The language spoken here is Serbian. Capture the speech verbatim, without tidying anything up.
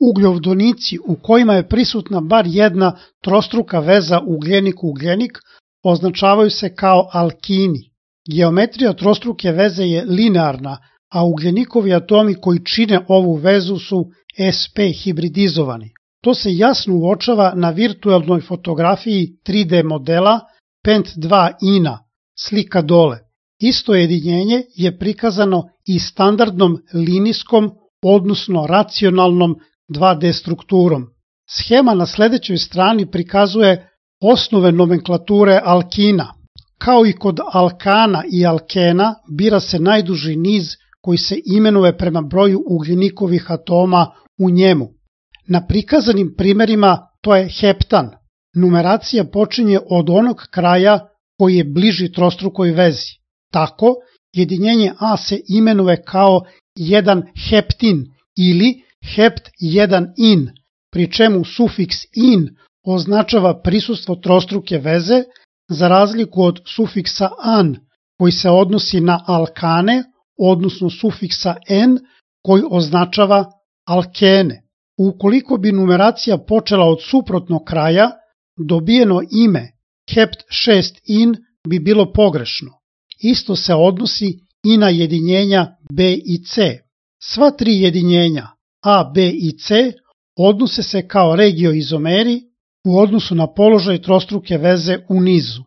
Ugljovodonici u kojima je prisutna bar jedna trostruka veza ugljenik-ugljenik označavaju se kao alkini. Geometrija trostruke veze je linearna, a ugljenikovi atomi koji čine ovu vezu su sp hibridizovani. To se jasno uočava na virtualnoj fotografiji tri D modela pent dva ina, slika dole. Isto jedinjenje je prikazano i standardnom linijskom, odnosno racionalnom dva D strukturom. Schema na sledećoj strani prikazuje osnove nomenklature alkina. Kao i kod alkana i alkena, bira se najduži niz koji se imenuje prema broju ugljenikovih atoma u njemu. Na prikazanim primerima to je heptan. Numeracija počinje od onog kraja koji je bliži trostrukoj vezi. Tako, jedinjenje A se imenuje kao jedan heptin ili hept jedan in, pri čemu sufiks in označava prisustvo trostruke veze, za razliku od sufiksa an koji se odnosi na alkane, odnosno sufiksa n koji označava alkene. Ukoliko bi numeracija počela od suprotnog kraja, dobijeno ime hept šest in bi bilo pogrešno. Isto se odnosi i na jedinjenja B i C. Sva tri jedinjenja A, B i C odnose se kao regioizomeri u odnosu na položaj trostruke veze u nizu.